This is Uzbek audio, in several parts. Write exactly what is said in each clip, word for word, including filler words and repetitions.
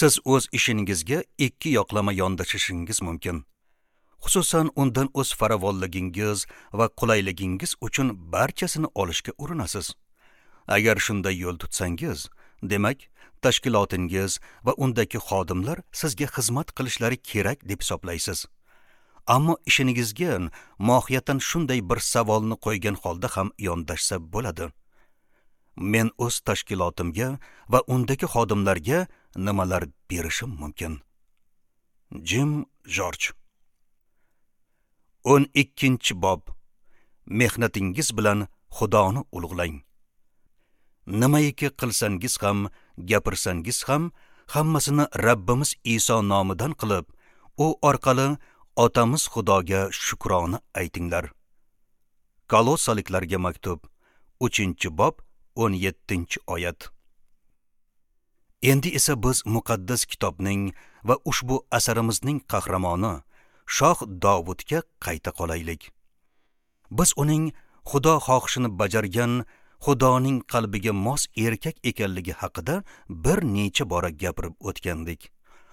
Siz o'z ishingizga ikki yoqlama yondashishingiz mumkin. Xususan, undan o'z farovonligingiz va qulayligingiz uchun barchasini olishga urinasiz. Agar shunday yo'l tutsangiz, demak, tashkilotingiz va undagi xodimlar sizga xizmat qilishlari kerak deb hisoblaysiz. Ammo ishingizga mohiyatan shunday bir savolni qo'ygan holda ham yondashsa bo'ladi. Men o'z tashkilotimga va undagi xodimlarga nimalar berishim mumkin? Jim Jorj. o'n ikkinchi bob. Mehnatingiz bilan Xudoni ulug'lang. Nimaiki qilsangiz ham, gapirsangiz ham, hammasini Rabbimiz Iso nomidan qilib, u orqali Otamiz Xudoga shukrona aytinglar. Kolossaliklarga maktub, uchinchi bob, o'n yettinchi oyat. Endi esa biz muqaddas kitobning va ushbu asarimizning qahramoni Shoh Dovudga qayta qolaylik. Biz uning Xudo xohishini bajargan, Xudoning qalbiga mos erkak ekanligi haqida bir necha bora gapirib o'tgandik.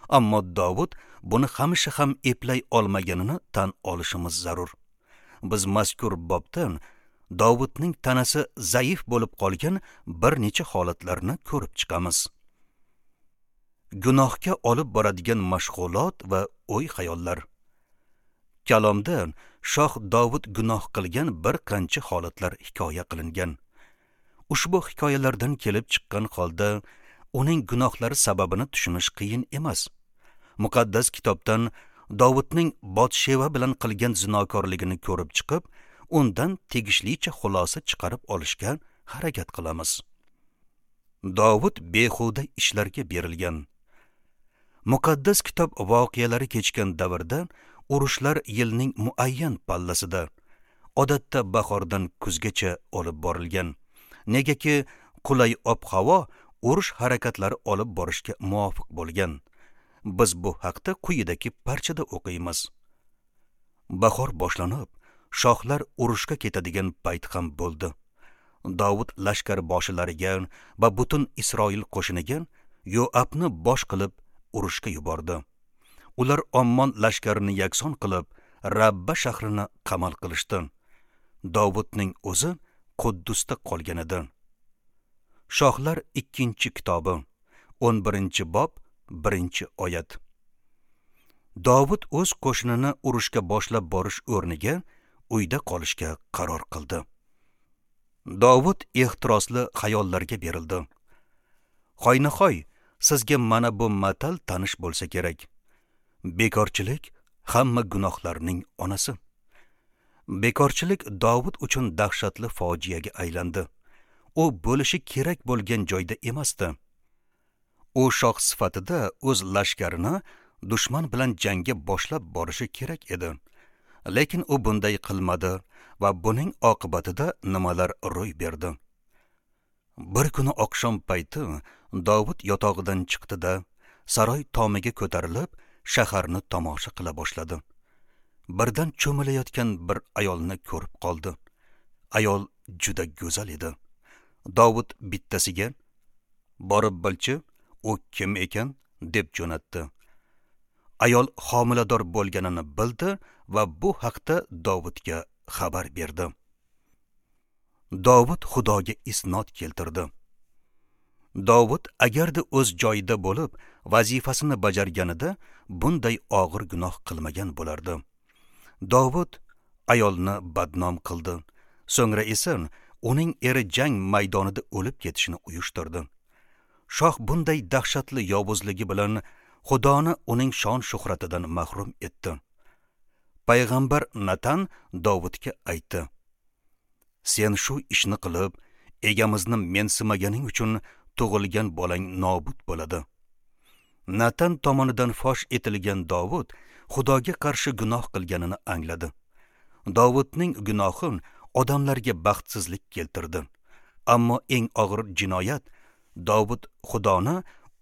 Ammo Dovud buni hamisha ham eplay olmaganini tan olishimiz zarur. Biz mazkur bobdan Dovudning tanasi zaif bo'lib qolgan bir necha holatlarni ko'rib chiqamiz. Gunohga olib boradigan mashg'ulot va o'y-xayollar. Kalomda Shoh Dovud gunoh qilgan bir qancha holatlar hikoya qilingan. Ushbu hikoyalardan kelib chiqqan holda uning gunohlari sababini tushunish qiyin emas. Muqaddas kitobdan Dovudning Botsheva bilan qilgan zinokorligini ko'rib chiqib, undan tegishlicha xulosa chiqarib olishga harakat qilamiz. Dovud behuda ishlarga berilgan. Muqaddas kitob voqealari kechgan davrda urushlar yilning muayyan pallasida, odatda bahordan kuzgacha olib borilgan. Negaki qulay ob-havo urush harakatlari olib borishga muvofiq bo'lgan. Biz bu haqda quyidagi parchada o'qiymiz. Bahor boshlanib, shohlar urushga ketadigan payt ham bo'ldi. Dovud lashkar boshilariga va butun Isroil qo'shiniga Yoabni bosh qilib urushga yubordi. Ular Ommon lashkarini yakson qilib, Rabba shahrini qamal qilishdi. Dovudning o'zi Quddusda qolgan edi. Shohlar ikkinchi kitobi, o'n birinchi bob, birinchi oyat. Dovud o'z qo'shinini urushga boshlab borish o'rniga uyda qolishga qaror qildi. Dovud ehtirosli xayollarga berildi. Hoynahoy, sizga mana bu matal tanish bo'lsa kerak. Bekorchilik hamma gunohlarning onasi. Bekorchilik Dovud uchun dahshatli fojiaga aylandi. U bo'lishi kerak bo'lgan joyda emasdi. U shoh sifatida o'z lashkarini dushman bilan jangga boshlab borishi kerak edi. Lekin u bunday qilmadi va buning oqibatida nimalar ro'y berdi? Bir kuni oqshom payti Dovud yotog'idan chiqdi-da, saroy tomiga ko'tarilib, shaharni tomosha qila boshladi. Birdan cho'milayotgan bir ayolni ko'rib qoldi. Ayol juda go'zal edi. Dovud bittasiga: "Borib bilchi, u kim ekan?" deb jo'natdi. Ayol homilador bo'lganini bildi va bu haqda Dovudga xabar berdi. Dovud Xudoga isnod keltirdi. Dovud agarda o'z joyida bo'lib, vazifasini bajarganida bunday og'ir gunoh qilmagan bo'lardi. Dovud ayolni badnom qildi. So'ngra esa uning eri jang maydonida o'lib ketishini uyushtirdi. Shoh bunday dahshatli yovuzligi bilan Xudoni uning shon shuhratidan mahrum etdi. Payg'ambar Natan Dovudga aytdi: "Sen shu ishni qilib, egamizni mensimaganing uchun tug'ilgan bolang nobud bo'ladi." Natan tomonidan fosh etilgan Dovud Xudoga qarshi gunoh qilganini angladi. Dovudning gunohi odamlarga baxtsizlik keltirdi. Ammo eng og'ir jinoyat Dovud Xudoni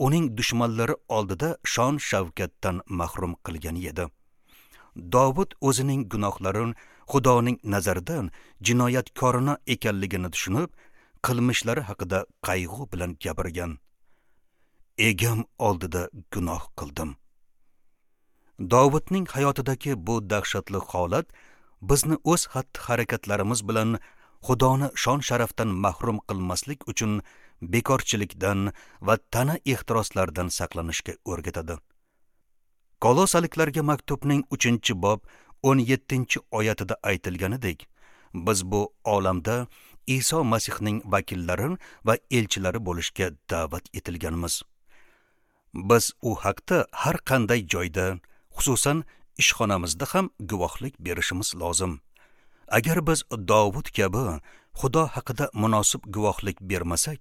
uning dushmanlari oldida shon shavkatdan mahrum qilgani edi. Dovud o'zining gunohlarini Xudoning nazaridan jinoyatkorona ekanligini tushunib, qilmishlari haqida qayg'u bilan gapirgan. Egam oldida gunoh qildim. Dovudning hayotidagi bu dahshatli holat bizni o'z xatti-harakatlarimiz bilan Xudoni shon-sharafdan mahrum qilmaslik uchun bekorchilikdan va tana ehtiroslaridan saqlanishga o'rgatadi. Kolosaliklarga maktubning uchinchi bob o'n yettinchi oyatida aytilganidek, biz bu olamda Iso Masihning vakillari va elchilari bo'lishga da'vat etilganmiz. Biz u haqda har qanday joyda, xususan ishxonamizda ham guvohlik berishimiz lozim. Agar biz Dovud kabi Xudo haqida munosib guvohlik bermasak,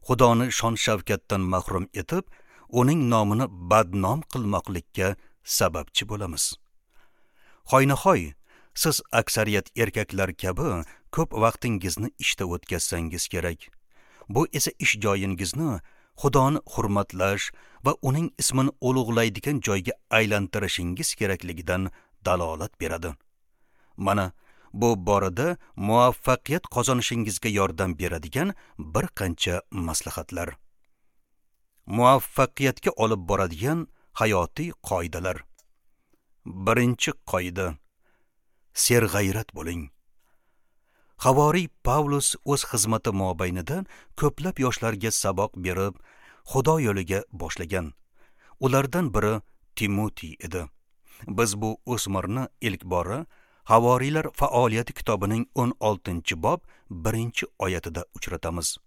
Xudoni shon-shavkatdan mahrum etib, uning nomini badnom qilmoqlikka sababchi bo'lamiz. Hoynahoy, siz aksariyat erkaklar kabi ko'p vaqtingizni ishda o'tkazsangiz kerak. Bu esa ish joyingizni Xudoni hurmatlash va uning ismini ulug'laydigan joyga aylantirishingiz kerakligidan dalolat beradi. Mana bu borada muvaffaqiyat qozonishingizga yordam beradigan bir qancha maslahatlar. Muvaffaqiyatga olib boradigan hayotiy qoidalar. Birinchi qoida: serg'ayrat bo'ling. Havoriy Pavlus o'z xizmati mobaynida ko'plab yoshlarga saboq berib, Xudo yo'liga boshlagan. Ulardan biri Timotey edi. Biz bu o'smirni ilk bora Havoriylar faoliyati kitobining o'n oltinchi bob birinchi oyatida uchratamiz.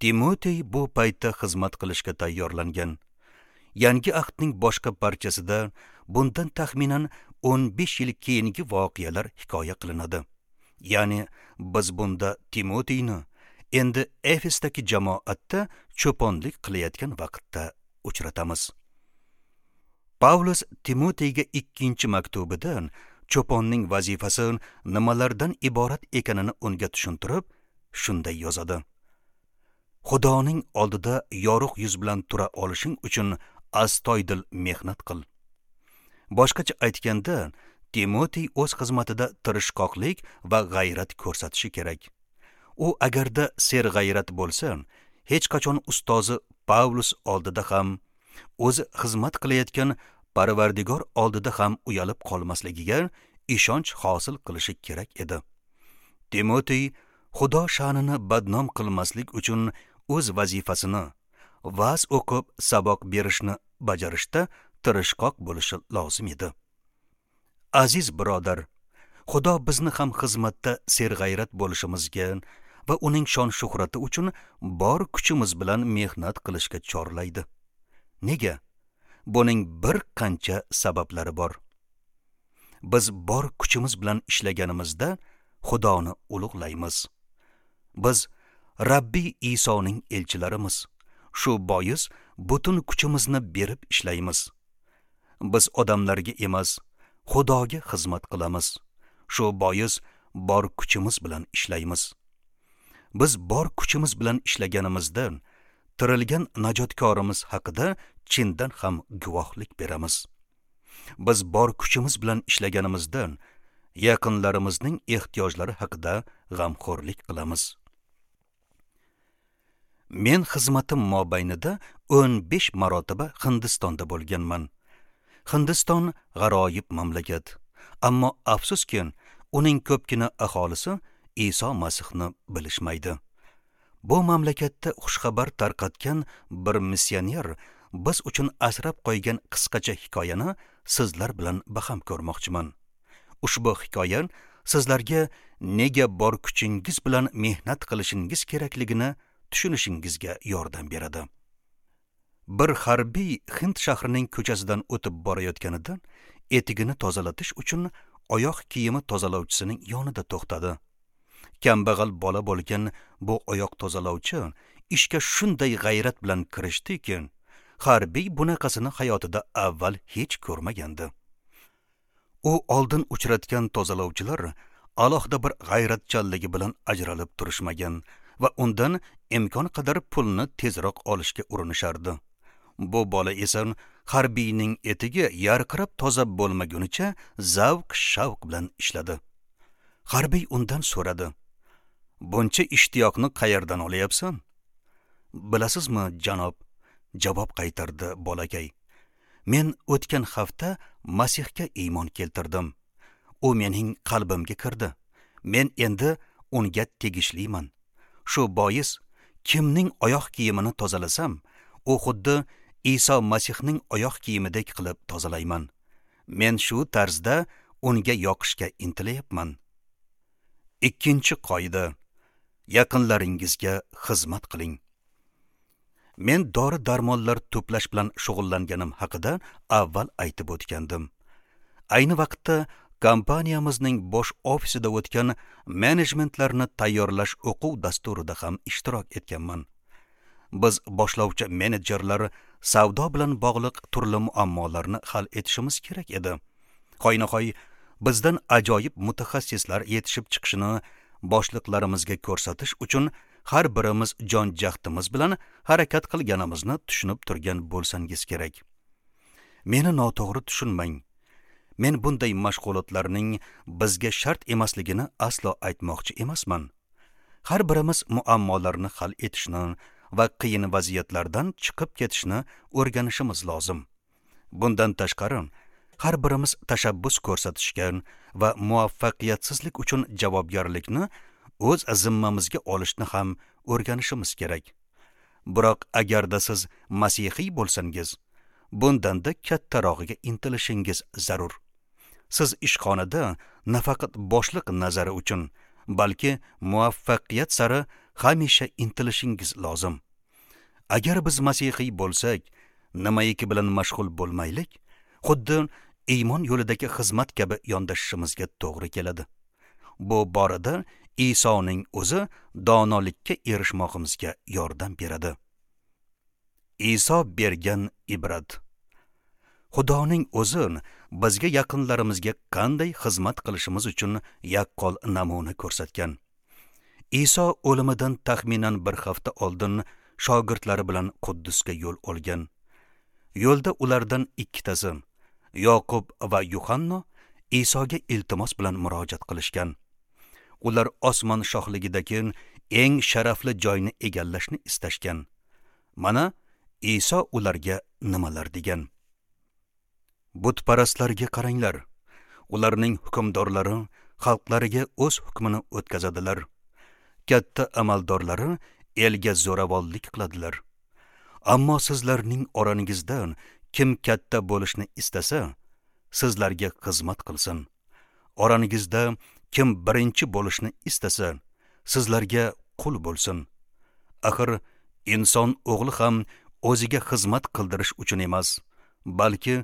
Timotey bu paytda xizmat qilishga tayyorlangan. Yangi ahdning boshqa parchasida bundan taxminan o'n besh yil keyingi voqealar hikoya qilinadi. Ya'ni biz bunda Timoteyni endi Efesdagi jamoatda cho'ponlik qilayotgan vaqtda uchratamiz. Pavlus Timoteyga ikkinchi maktubida cho'ponning vazifasi nimalardan iborat ekanini unga tushuntirib, shunday yozadi: Xudoning oldida yorug' yuz bilan tura olishing uchun astoydil mehnat qil. Boshqacha aytganda, Timotey o'z xizmatida tirishqoqlik va g'ayrat ko'rsatishi kerak. U agarda serg'ayrat bo'lsa, hech qachon ustozi Pavlus oldida ham, o'zi xizmat qilayotgan Parvardigor oldida ham uyalib qolmasligiga ishonch hosil qilishi kerak edi. Timotey Xudo sha'nini badnom qilmaslik uchun o'z vazifasini, va'z o'qib saboq berishni bajarishda tirishqoq bo'lishi lozim edi. Aziz birodar, Xudo bizni ham xizmatda serg'ayrat bo'lishimizga va uning shon-shuhrati uchun bor kuchimiz bilan mehnat qilishga chorlaydi. Nega? Buning bir qancha sabablari bor. Biz bor kuchimiz bilan ishlaganimizda Xudoni ulug'laymiz. Biz Rabbiy Isoning elchilarimiz. Shu bois butun kuchimizni berib ishlaymiz. Biz odamlarga emas, Xudoga xizmat qilamiz. Shu bois bor kuchimiz bilan ishlaymiz. Biz bor kuchimiz bilan ishlaganimizda tirilgan najotkorimiz haqida chindan ham guvohlik beramiz. Biz bor kuchimiz bilan ishlaganimizda yaqinlarimizning ehtiyojlari haqida g'amxo'rlik qilamiz. Men xizmatim mobaynida o'n besh marotaba Hindistonda bo'lganman. Hindiston g'aroyib mamlakat, ammo afsuski, uning ko'pgina aholisi Iso Masihni bilishmaydi. Bu mamlakatda xushxabar tarqatgan bir missioner biz uchun asrab qo'ygan qisqacha hikoyani sizlar bilan baham ko'rmoqchiman. Ushbu hikoya sizlarga nega bor kuchingiz bilan mehnat qilishingiz kerakligini tushunishingizga yordam beradi. Bir harbiy Hind shahrining ko'chasidan o'tib borayotganida etigini tozalatish uchun oyoq kiyimi tozalovchisining yonida to'xtadi. Kambag'al bola bo'lgan bu oyoq tozalovchi ishga shunday g'ayrat bilan kirishdiki, harbiy bunaqasini hayotida avval hech ko'rmagandi. U oldin uchratgan tozalovchilar alohida bir g'ayratchanligi bilan ajralib turishmagan va undan imkon qadar pulni tezroq olishga urinishardi. Bu bola esa harbiyning etigi yarqirab toza bo'lmagunicha zavq shavq bilan ishladi. Harbiy undan so'radi: "Buncha ishtiyoqni qayerdan olyapsan?" "Bilasizmi, janob," javob qaytardi bolakay. Men o'tgan hafta Masihga iymon keltirdim. U mening qalbimga kirdi. Men endi unga tegishliman. Shu bois kimning oyoq kiyimini tozalasam, u xuddi Iso Masihning oyoq kiyimidek qilib tozalayman. Men shu tarzda unga yoqishga intilayapman. Ikkinchi qoida: yaqinlaringizga xizmat qiling. Men dori-darmonlar to'plash bilan shug'ullanganim haqida avval aytib o'tgandim. Ayni vaqtda kompaniyamizning bosh ofisida o'tgan menejmentlarni tayyorlash o'quv dasturida ham ishtirok etganman. Biz boshlovchi menejerlar savdo bilan bog'liq turli muammolarni hal etishimiz kerak edi. Hoynahoy bizdan ajoyib mutaxassislar yetishib chiqishini boshliqlarimizga ko'rsatish uchun har birimiz jon jahdimiz bilan harakat qilganimizni tushunib turgan bo'lsangiz kerak. Meni noto'g'ri tushunmang. Men bunday mashg'ulotlarning bizga shart emasligini aslo aytmoqchi emasman. Har birimiz muammolarni hal etishni va qiyin vaziyatlardan chiqib ketishni o'rganishimiz lozim. Bundan tashqari, har birimiz tashabbus ko'rsatishga va muvaffaqiyatsizlik uchun javobgarlikni o'z zimmamizga olishni ham o'rganishimiz kerak. Biroq agarda siz masihiy bo'lsangiz, bundanda kattarog'iga intilishingiz zarur. Siz ishxonada nafaqat boshliq nazari uchun, balki muvaffaqiyat sari hamisha intilishingiz lozim. Agar biz masihiy bo'lsak, nimaiki bilan mashg'ul bo'lmaylik, xuddi iymon yo'lidagi xizmat kabi yondashishimizga to'g'ri keladi. Bu borada Isoning o'zi donolikka erishmoqimizga yordam beradi. Iso bergan ibrat. Xudoning o'zi bizga yaqinlarimizga qanday xizmat qilishimiz uchun yaqqol namuna ko'rsatgan. Iso o'limidan taxminan bir hafta oldin shogirdlari bilan Quddusga yo'l olgan. Yo'lda ulardan ikkitasi, Yoqub va Yuhanno, Isoga iltimos bilan murojaat qilishgan. Ular osmon shohligidagi eng sharafli joyni egallashni istashgan. Mana Iso ularga nimalar degan: Butparastlarga qaranglar. Ularning hukmdorlari xalqlariga o'z hukmini o'tkazadilar. Katta amaldorlari elga zo'ravonlik qiladilar. Ammo sizlarning orangizdan kim katta bo'lishni istasa, sizlarga xizmat qilsin. Orangizda kim birinchi bo'lishni istasa, sizlarga qul bo'lsin. Axir inson o'g'li ham o'ziga xizmat qildirish uchun emas, balki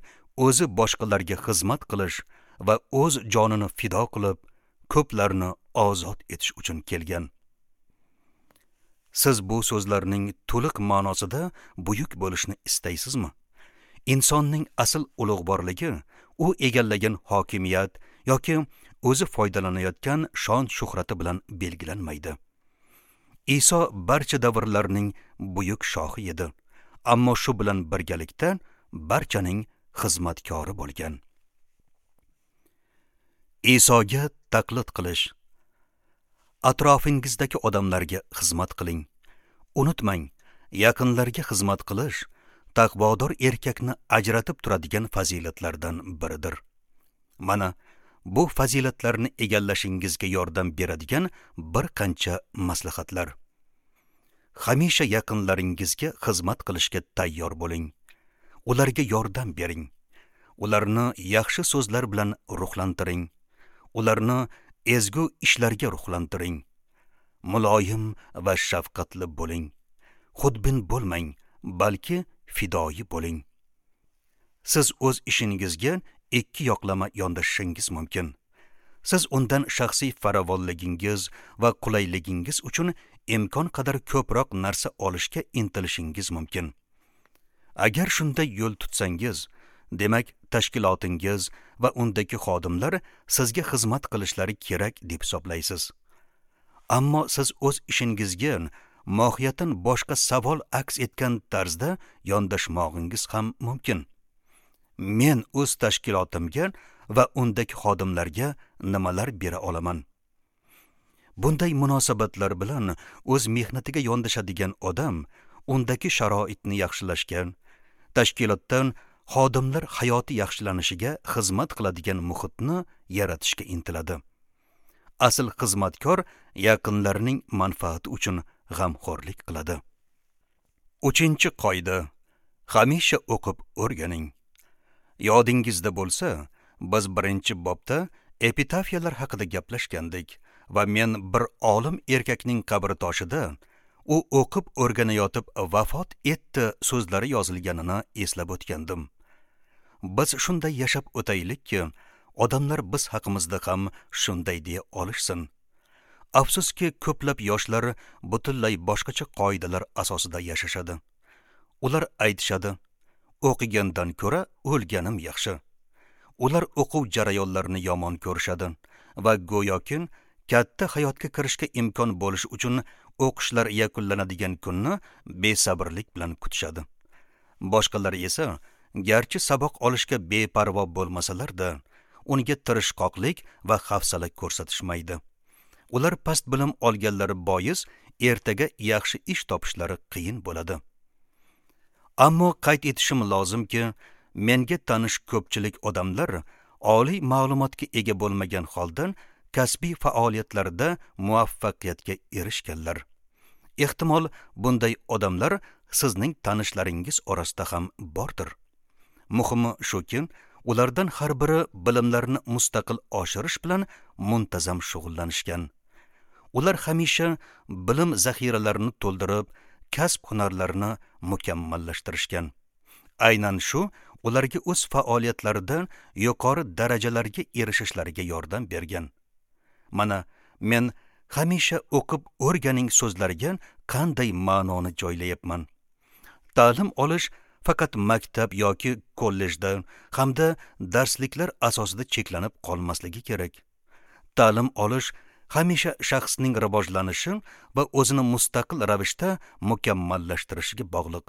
o'zi boshqalarga xizmat qilish va o'z jonini fido qilib, ko'plarni ozod etish uchun kelgan. Siz bu so'zlarning to'liq ma'nosida buyuk bo'lishni istaysizmi? Insonning asl ulug'vorligi u egallagan hokimiyat yoki o'zi foydalanayotgan shon shuhrati bilan belgilanmaydi. Iso barcha davrlarning buyuk shohi edi, ammo shu bilan birgalikda barchaning xizmatkori bo'lgan. Isoga taqlid qilish. Atrofingizdagi odamlarga xizmat qiling. Unutmang, yaqinlarga xizmat qilish taqvodor erkakni ajratib turadigan fazilatlardan biridir. Mana bu fazilatlarni egallashingizga yordam beradigan bir qancha maslahatlar. Hamisha yaqinlaringizga xizmat qilishga tayyor bo'ling. Ularga yordam bering. Ularni yaxshi so'zlar bilan ruhlantiring. Ularni ezgu ishlarga ruhlantiring. Muloyim va shafqatli bo'ling. Xudbin bo'lmang, balki fidoyi bo'ling. Siz o'z ishingizga ikki yoqlama yondashishingiz mumkin. Siz undan shaxsiy farovonligingiz va qulayligingiz uchun imkon qadar ko'proq narsa olishga intilishingiz mumkin. Agar shunday yo'l tutsangiz, demak tashkilotingiz va undagi xodimlar sizga xizmat qilishlari kerak deb hisoblaysiz. Ammo siz o'z ishingizga mohiyatan boshqa savol aks etgan tarzda yondashmog'ingiz ham mumkin. Men o'z tashkilotimga va undagi xodimlarga nimalar bera olaman? Bunday munosabatlar bilan o'z mehnatiga yondashadigan odam undagi sharoitni yaxshilashga, tashkilotdan xodimlar hayoti yaxshilanishiga xizmat qiladigan muhitni yaratishga intiladi. Asl xizmatkor yaqinlarining manfaati uchun g'amxo'rlik qiladi. Uchinchi qoida: hamisha o'qib o'rganing. Yodingizda bo'lsa, biz birinchi bobda epitafiyalar haqida gaplashgandik va men bir olim erkakning qabri toshida u o'qib o'rganayotib vafot etdi so'zlari yozilganini eslab o'tgandim. Biz shunday yashab o'taylikki, odamlar biz haqimizda ham shunday deya olishsin. Afsuski, ko'plab yoshlar butunlay boshqacha qoidalar asosida yashashadi. Ular aytishadi: o'qigandan ko'ra o'lganim yaxshi. Ular o'quv jarayonlarini yomon ko'rishadi va go'yoki katta hayotga kirishga imkon bo'lishi uchun o'qishlar yakunlanadigan kunni besabrlik bilan kutishadi. Boshqalar esa garchi saboq olishga beparvo bo'lmasalar-da, unga tirishqoqlik va hafsala ko'rsatishmaydi. Ular past bilim olganlari bois ertaga yaxshi ish topishlari qiyin bo'ladi. Ammo qayd etishim lozimki, menga tanish ko'pchilik odamlar oliy ma'lumotga ega bo'lmagan holda kasbiy faoliyatlarida muvaffaqiyatga erishganlar. Ehtimol bunday odamlar sizning tanishlaringiz orasida ham bordir. Muhimi shuki, ulardan har biri bilimlarini mustaqil oshirish bilan muntazam shug'ullanishgan. Ular hamisha bilim zaxiralarini to'ldirib, kasb hunarlarini mukammallashtirishgan. Aynan shu ularga o'z faoliyatlarida yuqori darajalarga erishishlariga yordam bergan. Mana men hamisha o'qib o'rganing so'zlariga qanday ma'noni joylayapman. Ta'lim olish faqat maktab yoki kollejda hamda darsliklar asosida cheklanib qolmasligi kerak. Ta'lim olish hamisha shaxsning rivojlanishi va o'zini mustaqil ravishda mukammallashtirishiga bog'liq.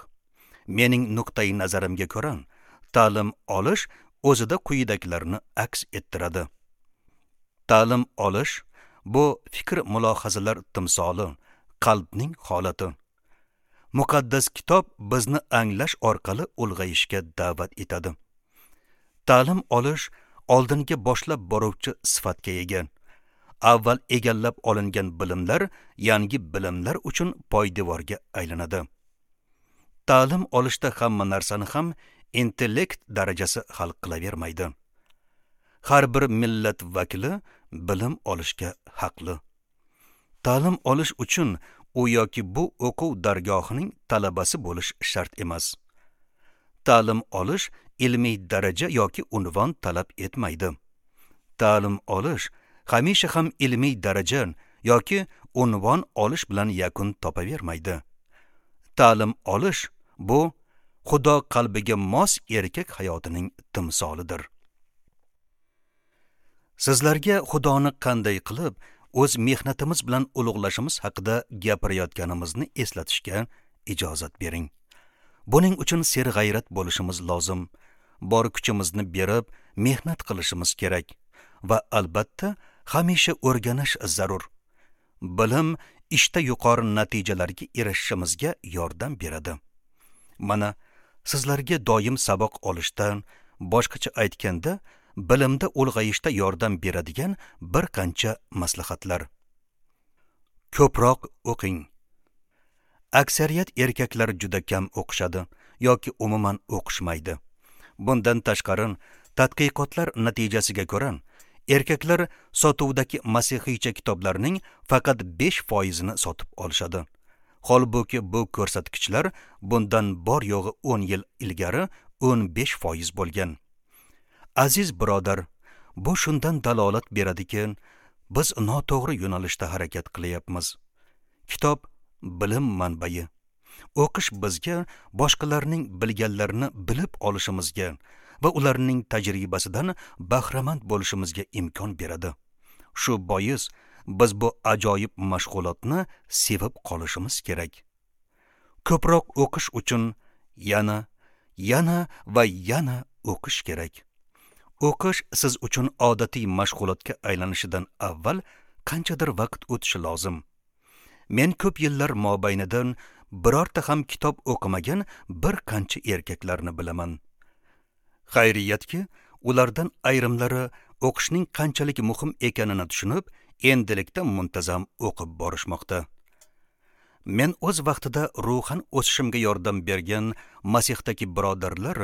Mening nuqtai nazarimga ko'ra, ta'lim olish o'zida quyidagilarni aks ettiradi. Ta'lim olish bu fikr mulohazalar timsoli, qalbning holati. Muqaddas kitob bizni anglash orqali ulg'ayishga da'vat etadi. Ta'lim olish oldinga boshlab boruvchi sifatga ega. Avval egallab olingan bilimlar yangi bilimlar uchun poydevorga aylanadi. Ta'lim olishda hamma narsani ham intellekt darajasi hal qilavermaydi. Har bir millat vakili bilim olishga haqli. Ta'lim olish uchun u yoki bu o'quv dargohining talabasi bo'lish shart emas. Ta'lim olish ilmiy daraja yoki unvon talab etmaydi. Ta'lim olish hamisha ham ilmiy daraja yoki unvon olish bilan yakun topavermaydi. Ta'lim olish bu Xudo qalbiga mos erkak hayotining timsolidir. Sizlarga Xudoni qanday qilib o'z mehnatimiz bilan ulug'lashimiz haqida gapirayotganimizni eslatishga ijozat bering. Buning uchun serg'ayrat bo'lishimiz lozim. Bor kuchimizni berib mehnat qilishimiz kerak va albatta hamisha o'rganish zarur. Bilim ishda yuqori natijalarga erishishimizga yordam beradi. Mana sizlarga doim saboq olishdan, boshqacha aytganda, bilimda ulg'ayishda yordam beradigan bir qancha maslahatlar. Ko'proq o'qing. Aksariyat erkaklar juda kam o'qishadi yoki umuman o'qishmaydi. Bundan tashqari, tadqiqotlar natijasiga ko'ra, erkaklar sotuvdagi masihiycha kitoblarning faqat besh foizini sotib olishadi. Holbuki bu ko'rsatkichlar bundan bor yo'g'i o'n yil ilgari o'n besh foiz bo'lgan. Aziz birodar, bu shundan dalolat beradiki, biz noto'g'ri yo'nalishda harakat qilyapmiz. Kitob bilim manbai. O'qish bizga boshqalarning bilganlarini bilib olishimizga va ularning tajribasidan bahramand bo'lishimizga imkon beradi. Shu bois biz bu ajoyib mashg'ulotni sevib qolishimiz kerak. Ko'proq o'qish uchun yana, yana va yana o'qish kerak. O'qish siz uchun odatiy mashg'ulotga aylanishidan avval qanchadir vaqt o'tishi lozim. Men ko'p yillar mobaynidan birorta ham kitob o'qimagan bir qancha erkaklarni bilaman. Xayriyatki, ulardan ayrimlari o'qishning qanchalik muhim ekanini tushunib, endilikda muntazam o'qib borishmoqda. Men o'z vaqtida ruhan o'sishimga yordam bergan Masihdagi birodarlar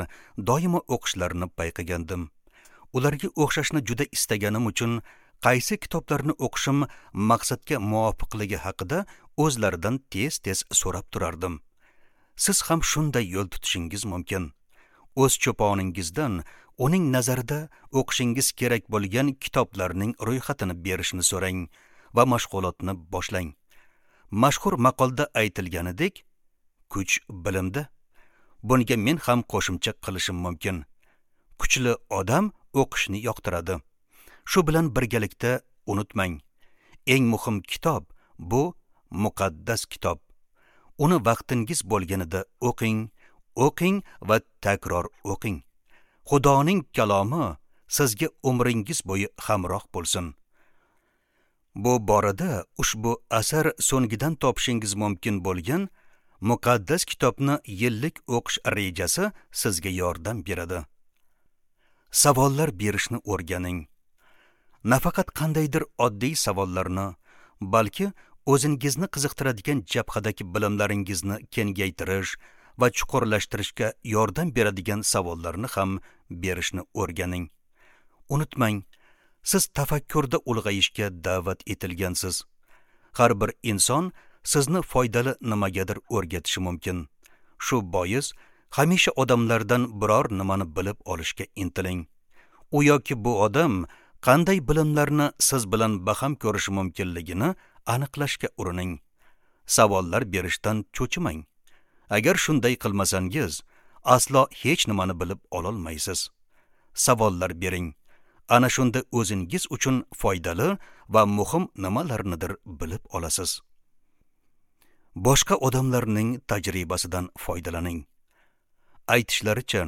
doimo o'qishlarini payqagandim. Ularga o'xshashni juda istaganim uchun qaysi kitoblarni o'qishim maqsadga muvofiqligi haqida o'zlaridan tez-tez so'rab turardim. Siz ham shunday yo'l tutishingiz mumkin. O'z cho'poningizdan uning nazarida o'qishingiz kerak bo'lgan kitoblarning ro'yxatini berishini so'rang va mashg'ulotni boshlang. Mashhur maqolda aytilganidek, kuch bilimda. Bunga men ham qo'shimcha qilishim mumkin. Kuchli odam o'qishni yoqtiradi. Shu bilan birgalikda unutmang, eng muhim kitob bu muqaddas kitob. Uni vaqtingiz bo'lganida o'qing, o'qing va takror o'qing. Xudoning kalomi sizga umringiz bo'yi hamroh bo'lsin. Bu borada ushbu asar so'ngidan topishingiz mumkin bo'lgan muqaddas kitobni yillik o'qish rejasi sizga yordam beradi. Savollar berishni o'rganing. Nafaqat qandaydir oddiy savollarni, balki o'zingizni qiziqtiradigan jabhadagi bilimlaringizni kengaytirish va chuqurlashtirishga yordam beradigan savollarni ham berishni o'rganing. Unutmang, siz tafakkurda ulg'ayishga da'vat etilgansiz. Har bir inson sizni foydali nimagadir o'rgatishi mumkin. Shu bois hamisha odamlardan biror nimani bilib olishga intiling. U yoki bu odam qanday bilimlarni siz bilan baham ko'rishi mumkinligini aniqlashga urining. Savollar berishdan cho'chimang. Agar shunday qilmasangiz, aslo hech nimani bilib ololmaysiz. Savollar bering. Ana shunda o'zingiz uchun foydali va muhim nimalarnidir bilib olasiz. Boshqa odamlarning tajribasidan foydalaning. Aytishlaricha,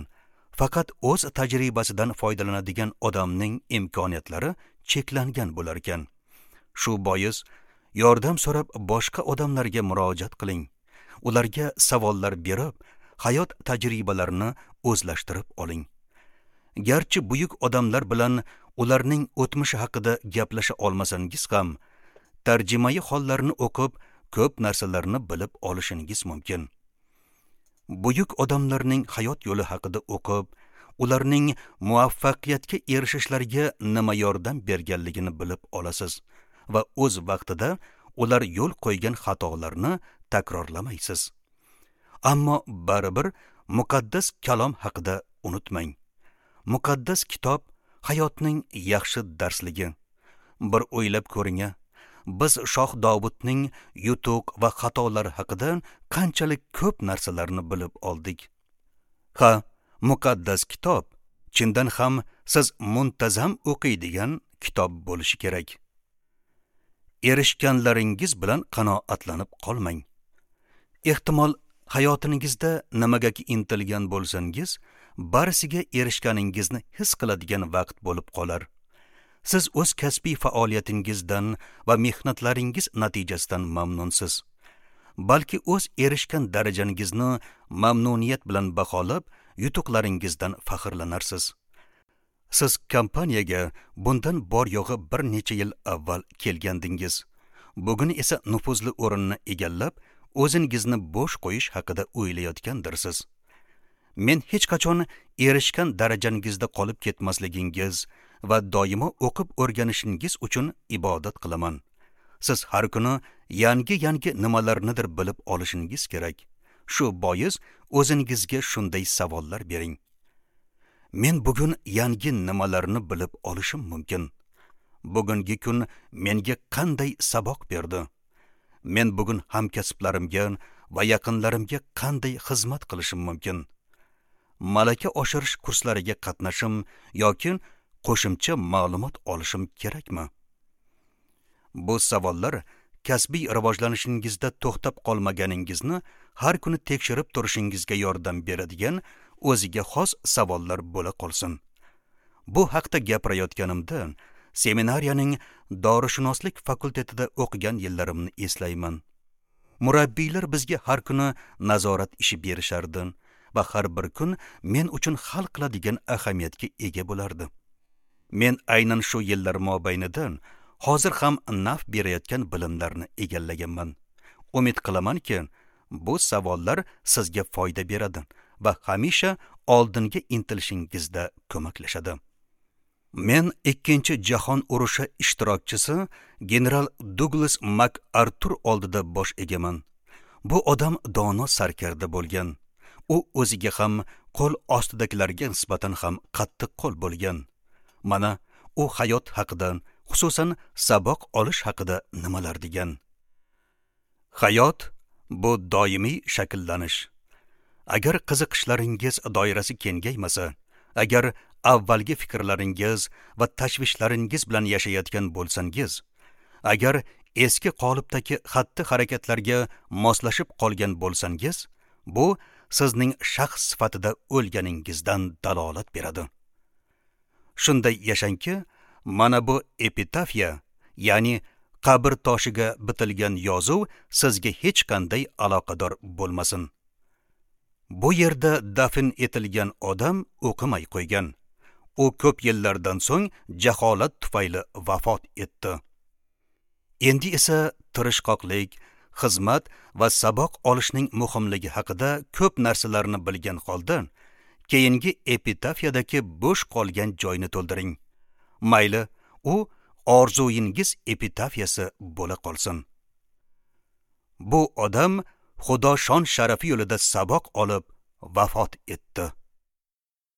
faqat o'z tajribasidan foydalanadigan odamning imkoniyatlari cheklangan bo'lar ekan. Shu bois yordam so'rab boshqa odamlarga murojaat qiling. Ularga savollar berib, hayot tajribalarini o'zlashtirib oling. Garchi buyuk odamlar bilan ularning o'tmishi haqida gaplasha olmasangiz ham, tarjimai hollarini o'qib, ko'p narsalarni bilib olishingiz mumkin. Buyuk odamlarning hayot yo'li haqida o'qib, ularning muvaffaqiyatga erishishlariga nima yordam berganligini bilib olasiz va o'z vaqtida ular yo'l qo'ygan xatolarni takrorlamaysiz. Ammo baribir muqaddas kalom haqida unutmang. Muqaddas kitob hayotning yaxshi darsligi. Bir o'ylab ko'ring, biz Shoh Dovudning yutuq va xatolari haqida qanchalik ko'p narsalarni bilib oldik. Ha, muqaddas kitob chindan ham siz muntazam o'qiydigan kitob bo'lishi kerak. Erishganlaringiz bilan qanoatlanib qolmang. Ehtimol hayotingizda nimagaki intilgan bo'lsangiz, barisiga erishganingizni his qiladigan vaqt bo'lib qolar. Siz o'z kasbiy faoliyatingizdan va mehnatlaringiz natijasidan mamnunsiz. Balki o'z erishgan darajangizni mamnuniyat bilan baholab, yutuqlaringizdan faxrlanarsiz. Siz kompaniyaga bundan bor yo'g'i bir necha yil avval kelgandingiz. Bugun esa nufuzli o'rinni egallab, o'zingizni bo'sh qo'yish haqida o'ylayotgandirsiz. Men hech qachon erishgan darajangizda qolib ketmasligingiz va doimo o'qib o'rganishingiz uchun ibodat qilaman. Siz har kuni yangi-yangi nimalarnidir bilib olishingiz kerak. Shu bois o'zingizga shunday savollar bering. Men bugun yangi nimalarni bilib olishim mumkin? Bugungi kun menga qanday saboq berdi? Men bugun hamkasblarimga va yaqinlarimga qanday xizmat qilishim mumkin? Malaka oshirish kurslariga qatnashim yoki qo'shimcha ma'lumot olishim kerakmi? Bu savollar kasbiy rivojlanishingizda to'xtab qolmaganingizni har kuni tekshirib turishingizga yordam beradigan o'ziga xos savollar bo'la qolsin. Bu haqda gapirayotganimda seminariyaning dorishunoslik fakultetida o'qigan yillarimni eslayman. Murabbiylar bizga har kuni nazorat ishi berishardi va har bir kun men uchun hal qiladigan ahamiyatga ega bo'lardi. Men aynan shu yillar mobaynida hozir ham naf berayotgan bilimlarni egallaganman. Umid qilamanki, bu savollar sizga foyda beradi va hamisha oldinga intilishingizda ko'maklashadi. Men ikkinchi jahon urushi ishtirokchisi general Duglas MacArthur oldida bosh egaman. Bu odam dono sarkarda bo'lgan. U o'ziga ham, qo'l ostidagilarga nisbatan ham qattiq qo'l bo'lgan. Mana u hayot haqida, xususan saboq olish haqida nimalar degan. Hayot bu doimiy shakllanish. Agar qiziqishlaringiz doirasi kengaymasa, agar avvalgi fikrlaringiz va tashvishlaringiz bilan yashayotgan bo'lsangiz, agar eski qolipdagi xatti-harakatlarga moslashib qolgan bo'lsangiz, bu sizning shaxs sifatida o'lganingizdan dalolat beradi. Shunday yashangki, mana bu epitafiya, ya'ni qabr toshiga bitilgan yozuv sizga hech qanday aloqador bo'lmasin. Bu yerda dafn etilgan odam o'qimay qo'ygan. U ko'p yillardan so'ng jaholat tufayli vafot etdi. Endi esa tirishqoqlik, xizmat va saboq olishning muhimligi haqida ko'p narsalarni bilgan holda, keyingi epitafiyadagi bo'sh qolgan joyni to'ldiring. Mayli, u orzuyingiz epitafiyasi bo'la qolsin. Bu odam Xudo shon sharafi yo'lida saboq olib vafot etdi.